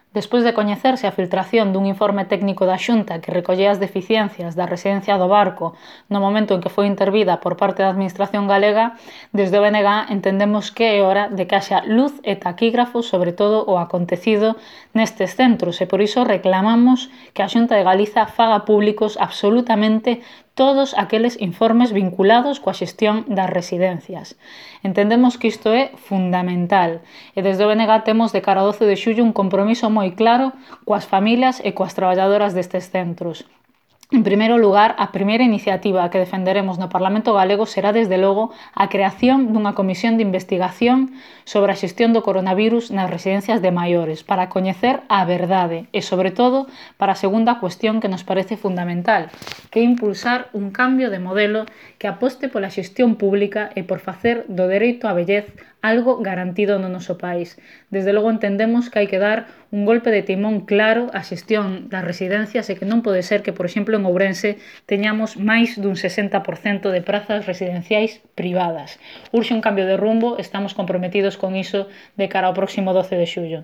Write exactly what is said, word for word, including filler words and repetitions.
Despois de coñecerse a filtración dun informe técnico da Xunta que recollía as deficiencias da residencia do Barco no momento en que foi intervida por parte da Administración galega, desde o B N G entendemos que é hora de que haxa luz e taquígrafos sobre todo o acontecido nestes centros e por iso reclamamos que a Xunta de Galiza faga públicos absolutamente todos aqueles informes vinculados coa xestión das residencias. Entendemos que isto é fundamental e desde o B N G temos de cara ao doce de xullo un compromiso moi claro coas familias e coas traballadoras destes centros. En primeiro lugar, a primeira iniciativa que defenderemos no Parlamento galego será, desde logo, a creación dunha comisión de investigación sobre a xestión do coronavirus nas residencias de maiores, para coñecer a verdade e, sobre todo, para a segunda cuestión que nos parece fundamental, que é impulsar un cambio de modelo que aposte pola xestión pública e por facer do dereito á vellez algo garantido no noso país. Desde logo entendemos que hai que dar un golpe de timón claro á xestión das residencias e que non pode ser que, por exemplo, en Ourense teñamos máis dun sesenta por cento de prazas residenciais privadas. Urxe un cambio de rumbo, estamos comprometidos con iso de cara ao próximo doce de xullo.